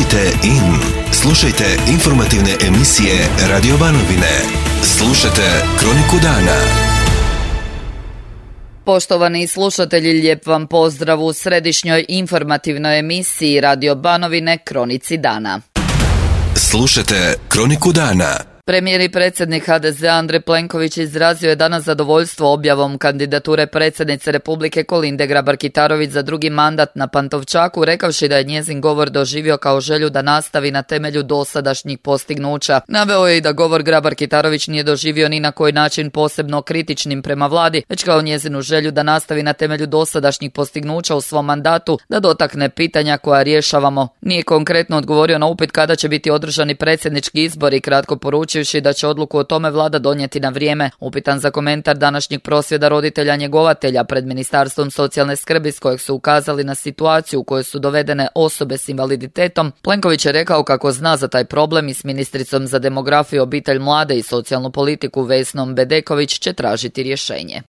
Budite in. Slušajte informativne emisije Radio Banovine. Slušajte Kroniku dana. Poštovani slušatelji, lijep vam pozdrav u središnjoj informativnoj emisiji Radio Banovine Kronici dana. Slušajte Kroniku dana. Premijer i predsjednik HDZ-a Andrej Plenković izrazio je danas zadovoljstvo objavom kandidature predsjednice Republike Kolinde Grabar-Kitarović za drugi mandat na Pantovčaku, rekavši da je njezin govor doživio kao želju da nastavi na temelju dosadašnjih postignuća. Naveo je i da govor Grabar-Kitarović nije doživio ni na koji način posebno kritičnim prema vladi, već kao njezinu želju da nastavi na temelju dosadašnjih postignuća u svom mandatu, da dotakne pitanja koja rješavamo. Nije konkretno odgovorio na upit kada će biti održani predsjednički izbori, kratko poručivši da će odluku o tome vlada donijeti na vrijeme. Upitan za komentar današnjeg prosvjeda roditelja njegovatelja pred Ministarstvom socijalne skrbi s kojeg su ukazali na situaciju u kojoj su dovedene osobe s invaliditetom, Plenković je rekao kako zna za taj problem i s ministricom za demografiju, obitelj, mlade i socijalnu politiku Vesnom Bedeković će tražiti rješenje.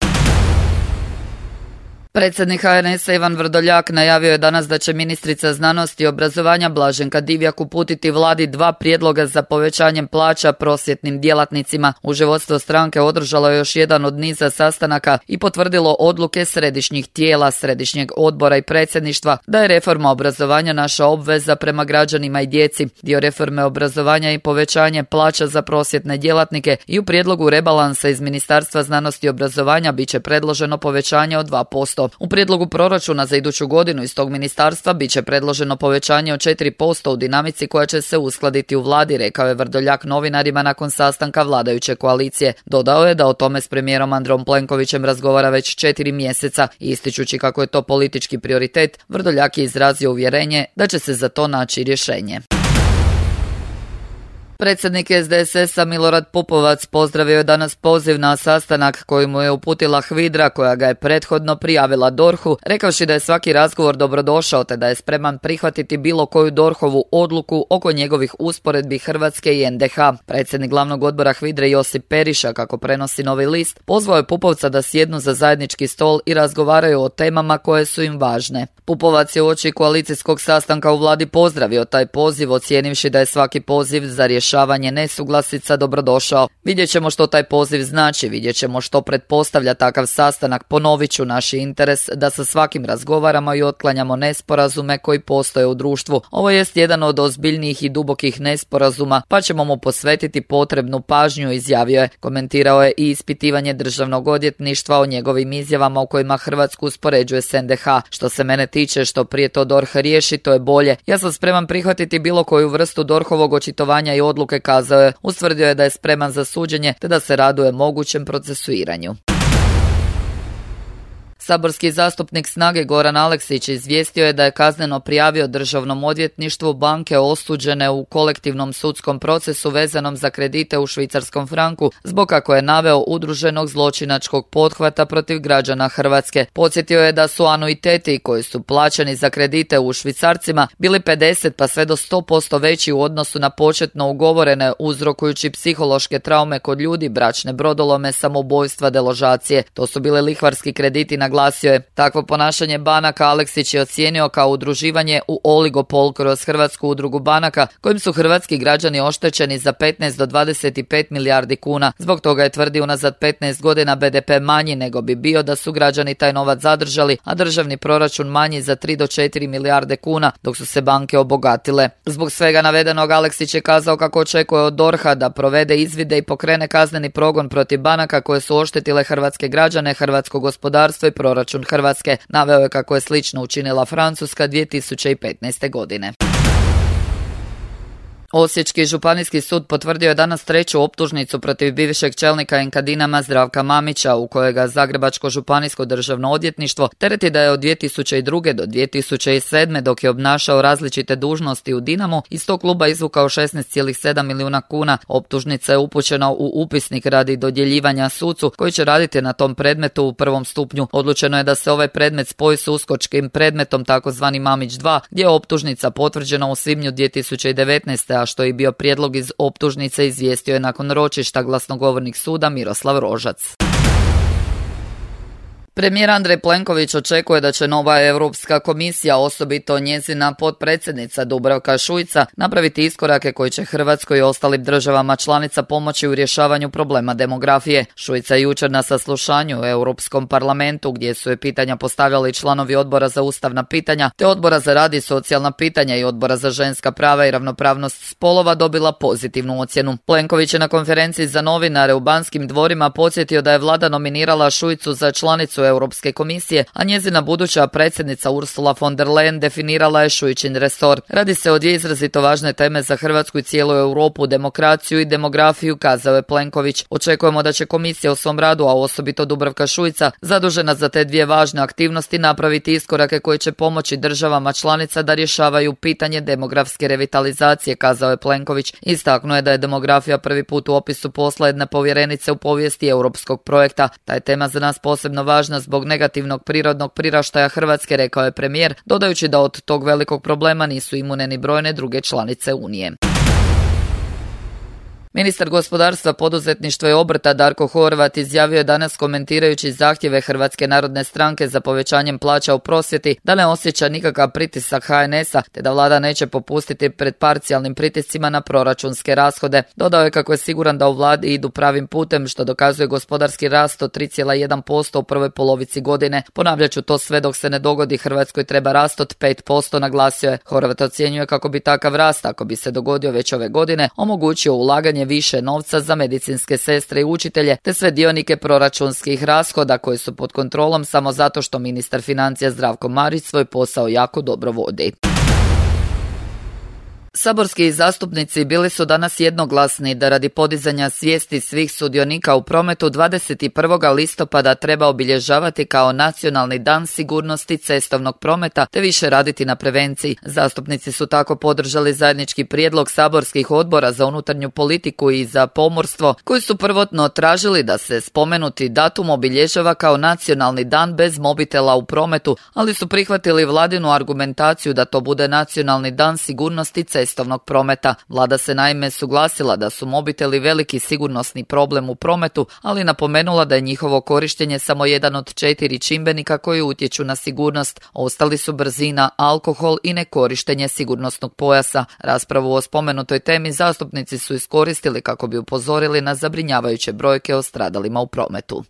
Predsjednik HNS-a Ivan Vrdoljak najavio je danas da će ministrica znanosti i obrazovanja Blaženka Divjak uputiti vladi 2 prijedloga za povećanjem plaća prosvjetnim djelatnicima. Uže vodstvo stranke održalo je još jedan od niza sastanaka i potvrdilo odluke središnjih tijela, središnjeg odbora i predsjedništva da je reforma obrazovanja naša obveza prema građanima i djeci. Dio reforme obrazovanja i povećanje plaća za prosvjetne djelatnike i u prijedlogu rebalansa iz Ministarstva znanosti i obrazovanja bit će predloženo povećanje od 2%. U prijedlogu proračuna za iduću godinu iz tog ministarstva bit će predloženo povećanje od 4% u dinamici koja će se uskladiti u vladi, rekao je Vrdoljak novinarima nakon sastanka vladajuće koalicije. Dodao je da o tome s premijerom Andrejom Plenkovićem razgovara već 4 mjeseca. Ističući kako je to politički prioritet, Vrdoljak je izrazio uvjerenje da će se za to naći rješenje. Predsjednik SDSS-a Milorad Pupovac pozdravio je danas poziv na sastanak koji mu je uputila HVIDRA koja ga je prethodno prijavila DORH-u, rekavši da je svaki razgovor dobrodošao te da je spreman prihvatiti bilo koju DORH-ovu odluku oko njegovih usporedbi Hrvatske i NDH. Predsjednik glavnog odbora HVIDRE Josip Periša, kako prenosi Novi list, pozvao je Pupovca da sjednu za zajednički stol i razgovaraju o temama koje su im važne. Pupovac je uoči koalicijskog sastanka u vladi pozdravio taj poziv, ocijenivši da je svaki poziv za rješavanje nesuglasica dobrodošao. Vidjet ćemo što taj poziv znači, vidjet ćemo što pretpostavlja takav sastanak. Ponovit ću naš interes da sa svakim razgovaramo i otklanjamo nesporazume koji postoje u društvu. Ovo jest jedan od ozbiljnijih i dubokih nesporazuma, pa ćemo mu posvetiti potrebnu pažnju, izjavio je. Komentirao je i ispitivanje državnog odvjetništva o njegovim izjavama u kojima Hrvatsku uspoređuje s NDH. Što se mene tiče, što prije to DORH riješi, to je bolje. Ja sam spreman prihvatiti bilo koju vrstu DORH-ovog očitovanja i odluke, kazao je. Ustvrdio je da je spreman za suđenje te da se raduje mogućem procesuiranju. Saborski zastupnik Snage Goran Aleksić izvijestio je da je kazneno prijavio državnom odvjetništvu banke osuđene u kolektivnom sudskom procesu vezanom za kredite u švicarskom franku zbog, kako je naveo, udruženog zločinačkog pothvata protiv građana Hrvatske. Podsjetio je da su anuiteti koji su plaćani za kredite u švicarcima bili 50 pa sve do 100% veći u odnosu na početno ugovorene, uzrokujući psihološke traume kod ljudi, bračne brodolome, samoubojstva, deložacije. To su bile lihvarski krediti, naglasio je. Takvo ponašanje banaka Aleksić je ocijenio kao udruživanje u oligopol kroz Hrvatsku udrugu banaka, kojim su hrvatski građani oštećeni za 15 do 25 milijardi kuna. Zbog toga je tvrdio unazad 15 godina BDP manji nego bi bio da su građani taj novac zadržali, a državni proračun manji za 3 do 4 milijarde kuna, dok su se banke obogatile. Zbog svega navedenog Aleksić je kazao kako očekuje od DORH-a da provede izvide i pokrene kazneni progon protiv banaka koje su oštetile hrvatske građane, hrvatsko gospodarstvo i proračun Hrvatske. Naveo je kako je slično učinila Francuska 2015. godine. Osječki županijski sud potvrdio je danas 3. optužnicu protiv bivšeg čelnika Enkadinama Zdravka Mamića, u kojega Zagrebačko županijsko državno odvjetništvo tereti da je od 2002. do 2007. dok je obnašao različite dužnosti u Dinamu iz tog kluba izvukao 16,7 milijuna kuna. Optužnica je upućena u upisnik radi dodjeljivanja sucu koji će raditi na tom predmetu u prvom stupnju. Odlučeno je da se ovaj predmet spoji s uskočkim predmetom takozvani Mamić 2, gdje je optužnica potvrđena u svibnju 2019. a što je bio prijedlog iz optužnice, izvijestio je nakon ročišta glasnogovornik suda Miroslav Rožac. Premijer Andrej Plenković očekuje da će nova Europska komisija, osobito njezina potpredsjednica Dubravka Šuica, napraviti iskorake koji će Hrvatskoj i ostalim državama članica pomoći u rješavanju problema demografije. Šuica je jučer na saslušanju u Europskom parlamentu, gdje su je pitanja postavljali članovi Odbora za ustavna pitanja, te Odbora za rad i socijalna pitanja i Odbora za ženska prava i ravnopravnost spolova, dobila pozitivnu ocjenu. Plenković je na konferenciji za novinare u Banskim dvorima podsjetio da je vlada nominirala Šuicu za članicu Europske komisije, a njezina buduća predsjednica Ursula von der Leyen definirala je Šuičin resor. Radi se o dvije izrazito važne teme za Hrvatsku i cijelu Europu, demokraciju i demografiju, kazao je Plenković. Očekujemo da će komisija u svom radu, a osobito Dubravka Šuica, zadužena za te dvije važne aktivnosti, napraviti iskorake koji će pomoći državama članica da rješavaju pitanje demografske revitalizacije, kazao je Plenković. Istaknuo je da je demografija prvi put u opisu posla jedne povjerenice u povijesti europskog projekta. Ta je tema za nas posebno važna zbog negativnog prirodnog priraštaja Hrvatske, rekao je premijer, dodajući da od tog velikog problema nisu imune ni brojne druge članice Unije. Ministar gospodarstva, poduzetništva i obrta Darko Horvat izjavio je danas, komentirajući zahtjeve Hrvatske narodne stranke za povećanjem plaća u prosvjeti, da ne osjeća nikakav pritisak HNS-a, te da vlada neće popustiti pred parcijalnim pritiscima na proračunske rashode. Dodao je kako je siguran da u vladi idu pravim putem, što dokazuje gospodarski rast od 3,1% u prvoj polovici godine. Ponavljat ću to sve dok se ne dogodi, Hrvatskoj treba rast od 5%, naglasio je. Horvat ocjenjuje kako bi takav rast, ako bi se dogodio već ove godine, omogućio ulaganje više novca za medicinske sestre i učitelje, te sve dionike proračunskih rashoda koji su pod kontrolom samo zato što ministar financija Zdravko Marić svoj posao jako dobro vodi. Saborski zastupnici bili su danas jednoglasni da radi podizanja svijesti svih sudionika u prometu 21. listopada treba obilježavati kao Nacionalni dan sigurnosti cestovnog prometa te više raditi na prevenciji. Zastupnici su tako podržali zajednički prijedlog saborskih odbora za unutarnju politiku i za pomorstvo, koji su prvotno tražili da se spomenuti datum obilježava kao Nacionalni dan bez mobitela u prometu, ali su prihvatili vladinu argumentaciju da to bude Nacionalni dan sigurnosti cestovnog prometa. Vlada se naime suglasila da su mobiteli veliki sigurnosni problem u prometu, ali napomenula da je njihovo korištenje samo jedan od 4 čimbenika koji utječu na sigurnost. Ostali su brzina, alkohol i nekorištenje sigurnosnog pojasa. Raspravu o spomenutoj temi zastupnici su iskoristili kako bi upozorili na zabrinjavajuće brojke o stradalima u prometu.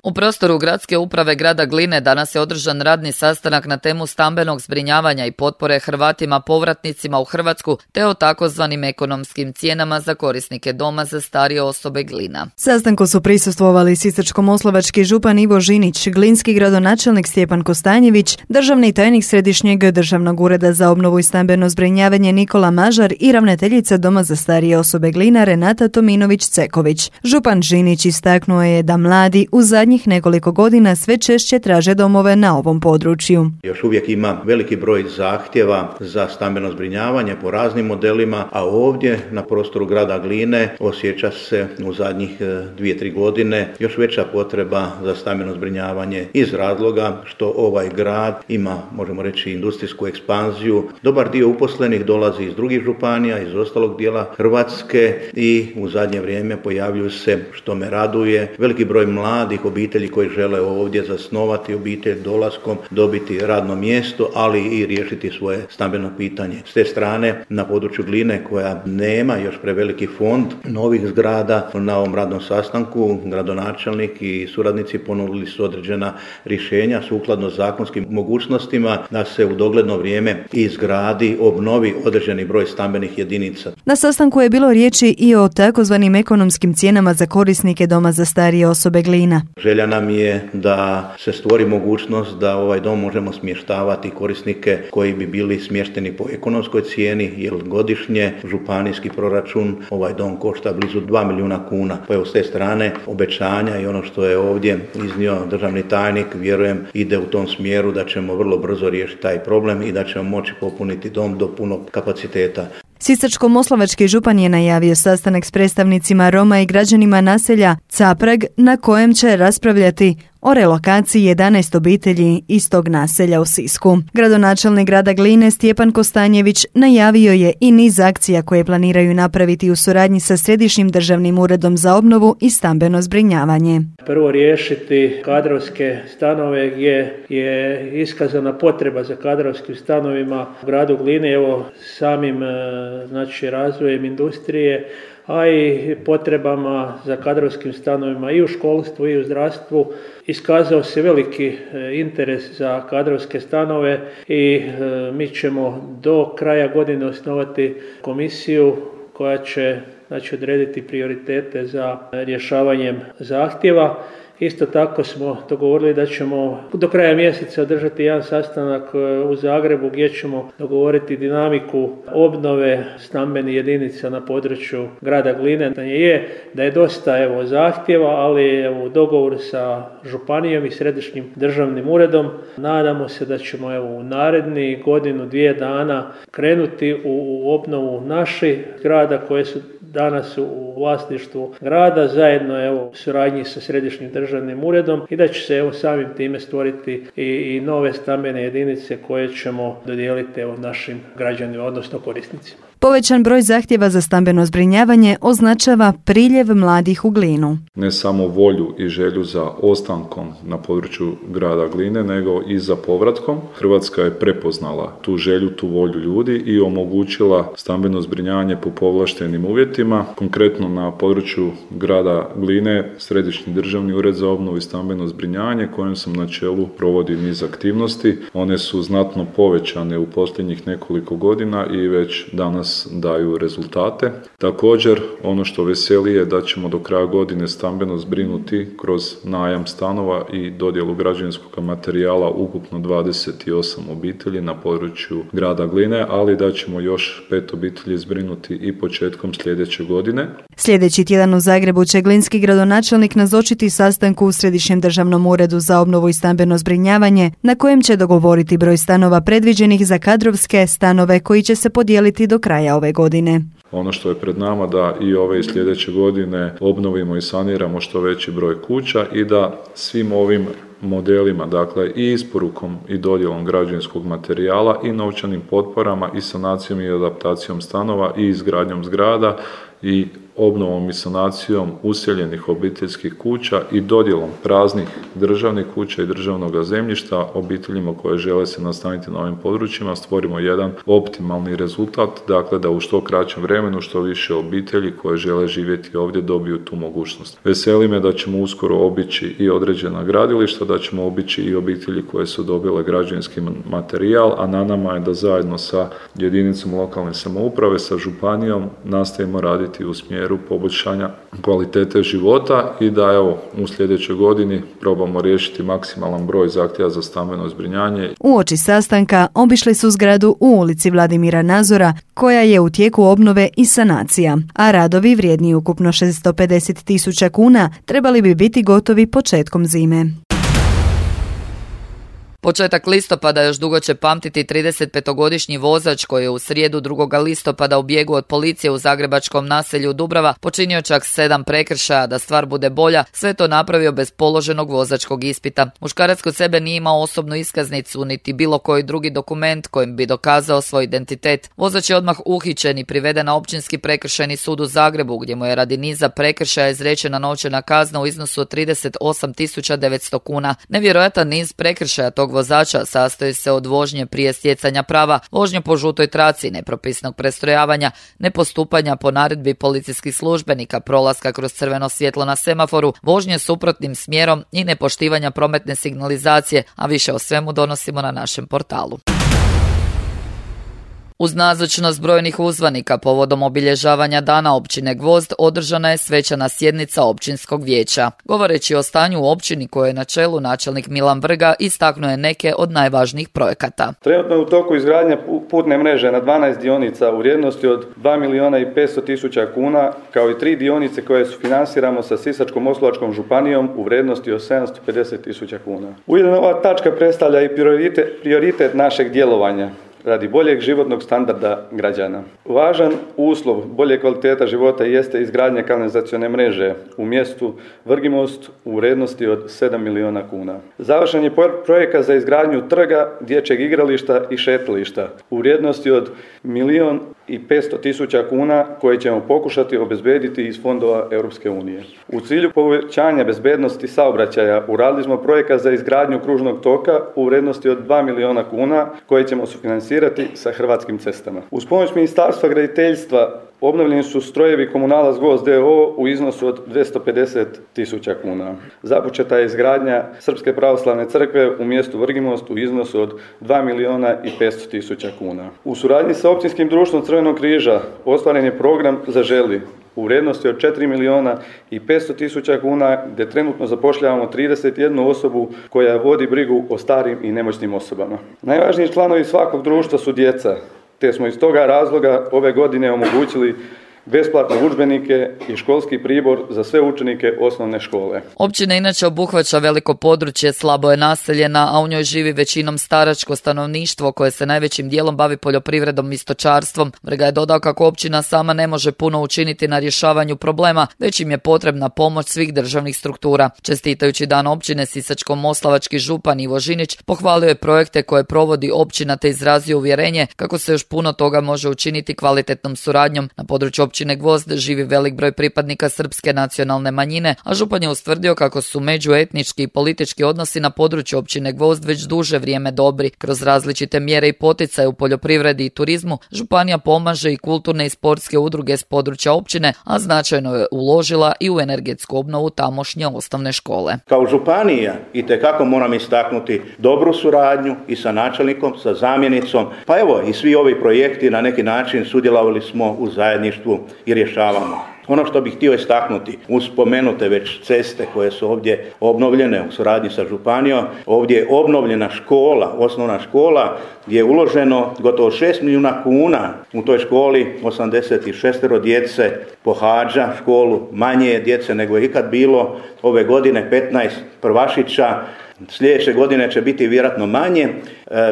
U prostoru gradske uprave grada Gline danas je održan radni sastanak na temu stambenog zbrinjavanja i potpore Hrvatima povratnicima u Hrvatsku te o takozvanim ekonomskim cijenama za korisnike doma za starije osobe Glina. Sastanku su prisustvovali sisačko-moslavački župan Ivo Žinić, glinski gradonačelnik Stjepan Kostanjević, državni tajnik Središnjeg državnog ureda za obnovu i stambeno zbrinjavanje Nikola Mažar i ravnateljica Doma za starije osobe Glina Renata Tominović-Ceković. Župan Žinić istaknuo je da mladi u zadnjih nekoliko godina sve češće traže domove na ovom području. Još uvijek ima veliki broj zahtjeva za stambeno zbrinjavanje po raznim modelima, a ovdje na prostoru grada Gline osjeća se u zadnjih 2-3 godine još veća potreba za stambeno zbrinjavanje iz razloga što ovaj grad ima, možemo reći, industrijsku ekspanziju. Dobar dio uposlenih dolazi iz drugih županija, iz ostalog dijela Hrvatske i u zadnje vrijeme pojavljuju se, što me raduje, veliki broj mladih obitelji koji žele ovdje zasnovati obitelj, dolaskom dobiti radno mjesto, ali i riješiti svoje stambeno pitanje. S te strane, na području Gline, koja nema još preveliki fond novih zgrada, na ovom radnom sastanku gradonačelnik i suradnici ponudili su određena rješenja sukladno zakonskim mogućnostima da se u dogledno vrijeme izgradi, obnovi određeni broj stambenih jedinica. Na sastanku je bilo riječi i o takozvanim ekonomskim cijenama za korisnike Doma za starije osobe Glina. Želja nam je da se stvori mogućnost da ovaj dom možemo smještavati korisnike koji bi bili smješteni po ekonomskoj cijeni, jer godišnje županijski proračun ovaj dom košta blizu 2 milijuna kuna. Pa evo, s te strane obećanja i ono što je ovdje iznio državni tajnik, vjerujem ide u tom smjeru da ćemo vrlo brzo riješiti taj problem i da ćemo moći popuniti dom do punog kapaciteta. Sisačko-moslavački župan je najavio sastanak s predstavnicima Roma i građanima naselja Caprag na kojem će raspravljati o relokaciji 11 obitelji iz tog naselja u Sisku. Gradonačelnik grada Gline Stjepan Kostanjević najavio je i niz akcija koje planiraju napraviti u suradnji sa Središnjim državnim uredom za obnovu i stambeno zbrinjavanje. Prvo riješiti kadrovske stanove gdje je iskazana potreba za kadrovskim stanovima u gradu Glini, evo samim razvojem industrije, a i potrebama za kadrovskim stanovima i u školstvu i u zdravstvu. Iskazao se veliki interes za kadrovske stanove i mi ćemo do kraja godine osnovati komisiju koja će odrediti prioritete za rješavanjem zahtjeva. Isto tako smo dogovorili da ćemo do kraja mjeseca održati jedan sastanak u Zagrebu gdje ćemo dogovoriti dinamiku obnove stambenih jedinica na području grada Gline. Da je dosta zahtjeva, ali u dogovoru sa županijom i Središnjim državnim uredom nadamo se da ćemo u naredni godinu, 2 dana krenuti u obnovu naših grada koje su danas u vlasništvu grada, zajedno u suradnji sa Središnjim državnim uredom i da će se samim time stvoriti i nove stambene jedinice koje ćemo dodijeliti našim građanima, odnosno korisnicima. Povećan broj zahtjeva za stambeno zbrinjavanje označava priljev mladih u Glinu. Ne samo volju i želju za ostankom na području grada Gline, nego i za povratkom. Hrvatska je prepoznala tu želju, tu volju ljudi i omogućila stambeno zbrinjavanje po povlaštenim uvjetima. Konkretno na području grada Gline Središnji državni ured za obnovu i stambeno zbrinjavanje, kojem sam na čelu, provodi niz aktivnosti. One su znatno povećane u posljednjih nekoliko godina i već danas daju rezultate. Također, ono što veseli je da ćemo do kraja godine stambeno zbrinuti kroz najam stanova i dodjelu građevinskog materijala ukupno 28 obitelji na području grada Gline, ali da ćemo još 5 obitelji zbrinuti i početkom sljedeće godine. Sljedeći tjedan u Zagrebu će glinski gradonačelnik nazočiti sastanku u Središnjem državnom uredu za obnovu i stambeno zbrinjavanje, na kojem će dogovoriti broj stanova predviđenih za kadrovske stanove koji će se podijeliti do kraja ove godine. Ono što je pred nama da i ove i sljedeće godine obnovimo i saniramo što veći broj kuća i da svim ovim modelima, dakle i isporukom i dodjelom građevinskog materijala i novčanim potporama i sanacijom i adaptacijom stanova i izgradnjom zgrada i obnovom i sanacijom useljenih obiteljskih kuća i dodjelom praznih državnih kuća i državnog zemljišta obiteljima koje žele se nastaniti na ovim područjima stvorimo jedan optimalni rezultat, dakle da u što kraćem vremenu što više obitelji koje žele živjeti ovdje dobiju tu mogućnost. Veseli me da ćemo uskoro obići i određena gradilišta, da ćemo obići i obitelji koje su dobile građevinski materijal, a na nama je da zajedno sa jedinicom lokalne samouprave, sa županijom nastavimo raditi u smjeru poboljšanja kvalitete života i da u sljedećoj godini probamo riješiti maksimalan broj zahtjeva za stambeno zbrinjavanje. Uoči sastanka obišli su zgradu u ulici Vladimira Nazora, koja je u tijeku obnove i sanacija, a radovi vrijedni ukupno 650.000 kuna trebali bi biti gotovi početkom zime. Početak listopada još dugo će pamtiti 35-godišnji vozač koji je u srijedu 2. listopada u bijegu od policije u zagrebačkom naselju Dubrava počinio čak 7 prekršaja. Da stvar bude bolja, sve to napravio bez položenog vozačkog ispita. Muškarac kod sebe nije imao osobnu iskaznicu niti bilo koji drugi dokument kojim bi dokazao svoj identitet. Vozač je odmah uhićen i priveden na Općinski prekršajni sud u Zagrebu, gdje mu je radi niza prekršaja izrečena novčana kazna u iznosu od 38.900 kuna. Nevjerojatan niz prekršaja tog vozača sastoji se od vožnje prije stjecanja prava, vožnje po žutoj traci, nepropisnog prestrojavanja, nepostupanja po naredbi policijskih službenika, prolaska kroz crveno svjetlo na semaforu, vožnje suprotnim smjerom i nepoštivanja prometne signalizacije, a više o svemu donosimo na našem portalu. Uz nazočnost brojnih uzvanika povodom obilježavanja dana općine Gvozd održana je svečana sjednica općinskog vijeća. Govoreći o stanju u općini koje je na čelu načelnik Milan Vrga istaknuo je neke od najvažnijih projekata. Trenutno je u toku izgradnja putne mreže na 12 dionica u vrijednosti od 2.500.000 kuna, kao i 3 dionice koje sufinansiramo sa Sisačko-moslavačkom županijom u vrijednosti od 750.000 kuna. Ujedno ova tačka predstavlja i prioritet našeg djelovanja. radi boljeg životnog standarda građana. Važan uslov bolje kvaliteta života jeste izgradnja kanalizacione mreže u mjestu Vrgimost u vrijednosti od 7 milijuna kuna. Završen je projekat za izgradnju trga, dječjeg igrališta i šetališta u vrijednosti od 1.500.000 kuna koje ćemo pokušati obezbediti iz fondova Europske unije. U cilju povećanja bezbednosti saobraćaja uradili smo projekat za izgradnju kružnog toka u vrijednosti od 2 milijuna kuna koje ćemo sufinansirati sa Hrvatskim cestama. Uz pomoć Ministarstva graditeljstva obnovljeni su strojevi Komunalac Gvozd d.o.o. u iznosu od 250.000 kuna. Započeta je izgradnja Srpske pravoslavne crkve u mjestu Vrgimost u iznosu od 2.500.000 kuna. U suradnji sa Općinskim društvom Crvenog križa ostvaren je program Zaželi u vrijednosti od 4.500.000 kuna gdje trenutno zapošljavamo 31 osobu koja vodi brigu o starim i nemoćnim osobama. Najvažniji članovi svakog društva su djeca, te smo iz toga razloga ove godine omogućili besplatne udžbenike i školski pribor za sve učenike osnovne škole. Općina inače obuhvaća veliko područje, slabo je naseljena, a u njoj živi većinom staračko stanovništvo koje se najvećim dijelom bavi poljoprivredom i stočarstvom. Vrga je dodao kako općina sama ne može puno učiniti na rješavanju problema, već im je potrebna pomoć svih državnih struktura. Čestitajući dan općine, sisačko-moslavački župan Ivo Žinić pohvalio je projekte koje provodi općina te izrazio uvjerenje kako se još puno toga može učiniti kvalitetnom suradnjom. Na području općine Gvozd živi velik broj pripadnika srpske nacionalne manjine, a župan je ustvrdio kako su međuetnički i politički odnosi na području općine Gvozd već duže vrijeme dobri. Kroz različite mjere i poticaje u poljoprivredi i turizmu, županija pomaže i kulturne i sportske udruge s područja općine, a značajno je uložila i u energetsku obnovu tamošnje osnovne škole. Kao županija itekako moram istaknuti dobru suradnju i sa načelnikom, sa zamjenicom, pa evo i svi ovi projekti na neki način sudjelovali smo u zajedništvu i rješavamo. Ono što bih htio istaknuti, uz spomenute već ceste koje su ovdje obnovljene u suradnji sa županijom, ovdje je obnovljena škola, osnovna škola, gdje je uloženo gotovo 6 milijuna kuna. U toj školi 86 djece pohađa školu, manje je djece nego je ikad bilo. Ove godine 15 prvašića, sljedeće godine će biti vjerojatno manje.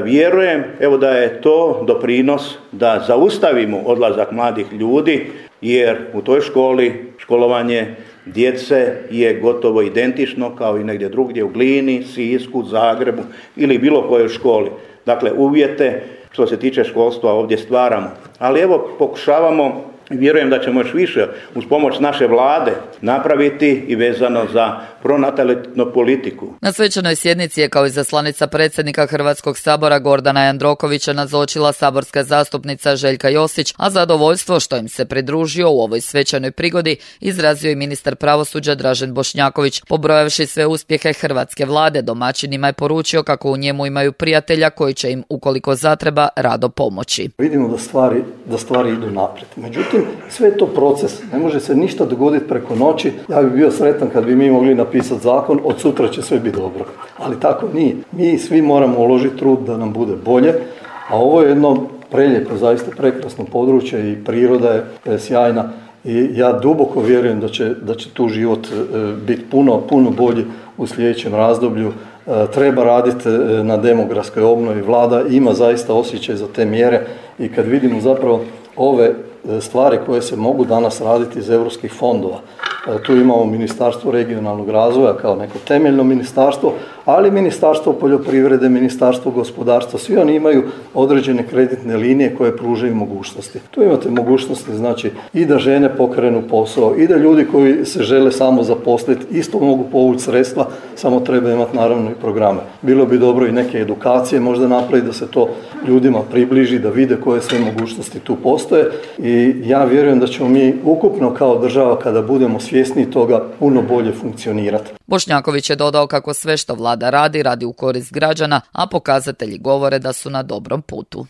Vjerujem da je to doprinos da zaustavimo odlazak mladih ljudi, jer u toj školi školovanje djece je gotovo identično kao i negdje drugdje u Glini, Sisku, Zagrebu ili bilo kojoj školi. Dakle, uvjete što se tiče školstva ovdje stvaramo. Ali pokušavamo, vjerujem da ćemo još više uz pomoć naše vlade napraviti i vezano za pronatalitetnu politiku. Na svečanoj sjednici je kao izaslanica predsjednika Hrvatskog sabora Gordana Jandrokovića nazočila saborska zastupnica Željka Josić, a zadovoljstvo što im se pridružio u ovoj svečanoj prigodi izrazio i ministar pravosuđa Dražen Bošnjaković. Pobrojavši sve uspjehe hrvatske vlade, domaćinima je poručio kako u njemu imaju prijatelja koji će im, ukoliko zatreba, rado pomoći. Vidimo da stvari idu naprijed. Međutim, sve je to proces. Ne može se ništa dogoditi preko noći. Ja bih bio sretan kad bi mi mogli napisati zakon, od sutra će sve biti dobro. Ali tako nije. Mi svi moramo uložiti trud da nam bude bolje, a ovo je jedno prelijepo, zaista prekrasno područje i priroda je sjajna i ja duboko vjerujem da će tu život biti puno bolji u sljedećem razdoblju. Treba raditi na demografskoj obnovi. Vlada ima zaista osjećaj za te mjere i kad vidimo zapravo ove stvari koje se mogu danas raditi iz europskih fondova. Tu imamo Ministarstvo regionalnog razvoja kao neko temeljno ministarstvo, ali Ministarstvo poljoprivrede, Ministarstvo gospodarstva, svi oni imaju određene kreditne linije koje pružaju mogućnosti. Tu imate mogućnosti, znači, i da žene pokrenu posao, i da ljudi koji se žele samo zaposliti isto mogu povući sredstva, samo treba imati naravno i programe. Bilo bi dobro i neke edukacije možda napraviti da se to ljudima približi, da vide koje sve mogućnosti tu postoje i ja vjerujem da ćemo mi ukupno kao država kada budemo svjesni toga puno bolje funkcionirati. Bošnjaković je dodao kako sve što vlada radi u korist građana, a pokazatelji govore da su na dobrom putu.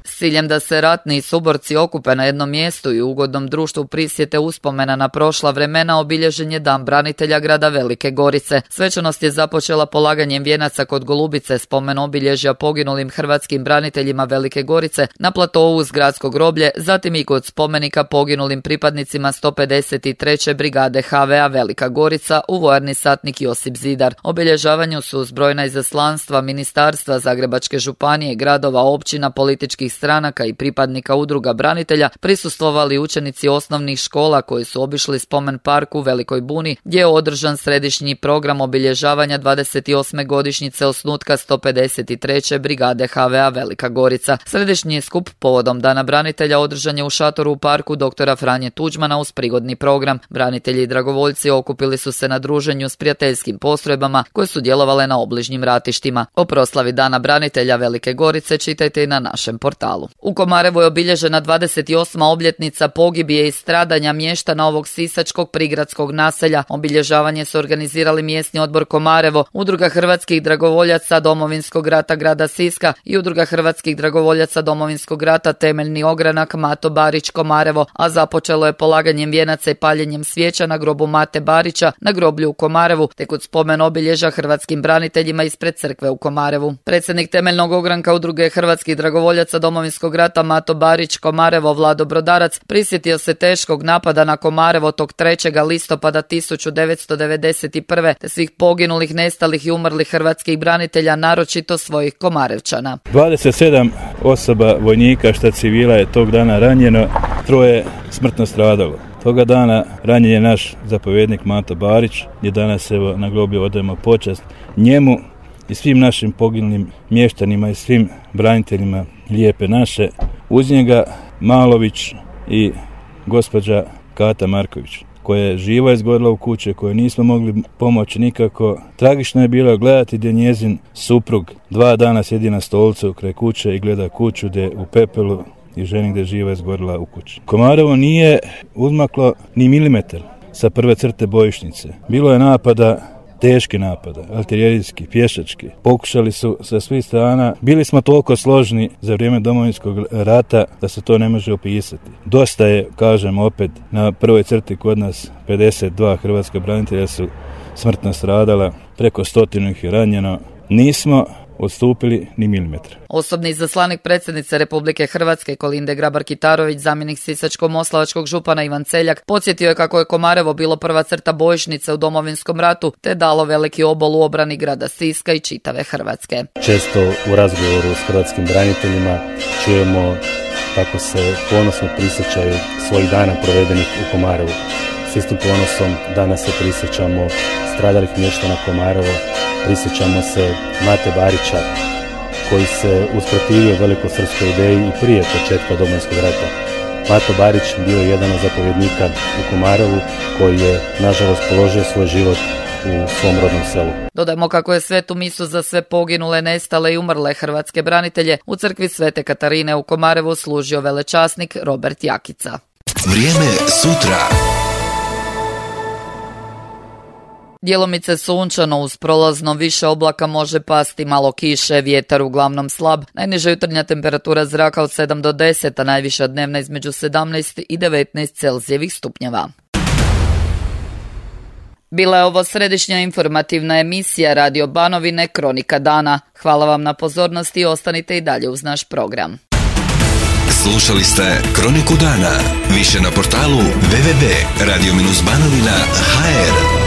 s ciljem da se ratni suborci okupe na jednom mjestu i u ugodnom društvu prisjete uspomena na prošla vremena obilježen je Dan branitelja grada Velike Gorice. Svečanost je započela polaganjem vijenaca kod Golubice, spomen obilježja poginulim hrvatskim braniteljima Velike Gorice na platovu uz gradsko groblje, zatim i kod spomenika poginulim pripadnicima 153. brigade HVA Velika Gorica u vojarni satnik Josip Zidar. Obilježavanju su uz brojna izaslanstva, ministarstva, Zagrebačke županije, gradova, općina, političkih stranaka i pripadnika udruga branitelja prisustvovali učenici osnovnih škola koji su obišli spomen park u Velikoj Buni, gdje je održan središnji program obilježavanja 28. godišnjice osnutka 153. brigade HVA Velika Gorica. Središnji skup povodom Dana branitelja održan je u šatoru u parku dr. Franje Tuđmana uz prigodni program. Branitelji i dragovoljci okupili su se na druženju s prijateljskim postrojbama koje su djelovale na obližnjim ratištima. O proslavi Dana branitelja Velike Gorice čitajte i na našem portalu. U Komarevu je obilježena 28. obljetnica pogibije i stradanja mještana ovog sisačkog prigradskog naselja. Obilježavanje su organizirali mjesni odbor Komarevo, Udruga hrvatskih dragovoljaca Domovinskog rata grada Siska i Udruga hrvatskih dragovoljaca Domovinskog rata Temeljni ogranak Mato Barić Komarevo, a započelo je polaganjem vijenaca i paljenjem svijeća na grobu Mate Barića na groblju u Komarevu, te kod spomen obilježja hrvatskim braniteljima ispred crkve u Komarevu. Predsjednik Temeljnog ogranka Udruge hrvatskih dragovoljaca Domovinskog rata Mato Barić Komarevo Vlado Brodarac prisjetio se teškog napada na Komarevo tog 3. listopada 1991. te svih poginulih, nestalih i umrlih hrvatskih branitelja, naročito svojih Komarevčana. 27 osoba vojnika šta civila je tog dana ranjeno, 3 smrtno stradalo. Toga dana ranjen je naš zapovjednik Mato Barić, gdje danas evo na groblju odajemo počast njemu i svim našim poginulim mještanima i svim braniteljima Lijepe naše. Uz njega Malović i gospođa Kata Marković, koja je živa izgorila u kuće, koje nismo mogli pomoći nikako. Tragično je bilo gledati gdje njezin suprug 2 dana sjedi na stolcu kraj kuće i gleda kuću gdje u pepelu i ženi gdje živa izgorila u kući. Komarevo nije uzmaklo ni milimetar sa prve crte bojišnice. Bilo je napada, teški napada, artiljerijski, pješački. Pokušali su sa svih strana. Bili smo toliko složni za vrijeme Domovinskog rata da se to ne može opisati. Dosta je, kažem opet, na prvoj crti kod nas 52 hrvatska branitelja su smrtno stradala, preko 100 ih je ranjeno. Nismo odstupili ni milimetra. Osobni izaslanik predsjednice Republike Hrvatske Kolinde Grabar-Kitarović, zamjenik sisačko-moslavačkog župana Ivan Celjak, podsjetio je kako je Komarevo bilo prva crta bojišnice u Domovinskom ratu, te dalo veliki obol u obrani grada Siska i čitave Hrvatske. Često u razgovoru s hrvatskim braniteljima čujemo kako se ponosno prisjećaju svojih dana provedenih u Komarevu. S istim ponosom danas se prisjećamo stradalih mještana Komarevo, prisjećamo se Mate Barića koji se usprotivio velikosrpskoj ideji i prije početka Domovinskog rata. Mato Barić bio je jedan od zapovjednika u Komarevu koji je nažalost položio svoj život u svom rodnom selu. Dodajmo kako je svetu misu za sve poginule, nestale i umrle hrvatske branitelje u crkvi Svete Katarine u Komarevu služio velečasnik Robert Jakica. Vrijeme sutra. Djelomice sunčano, uz prolazno više oblaka može pasti malo kiše, vjetar uglavnom slab. Najniža jutarnja temperatura zraka od 7 do 10, a najviša dnevna između 17 i 19 Celzijevih stupnjeva. Bila je ovo središnja informativna emisija Radio Banovine Kronika dana. Hvala vam na pozornosti i ostanite i dalje uz naš program. Slušali ste Kroniku dana. Više na portalu www.radio-banovina.hr.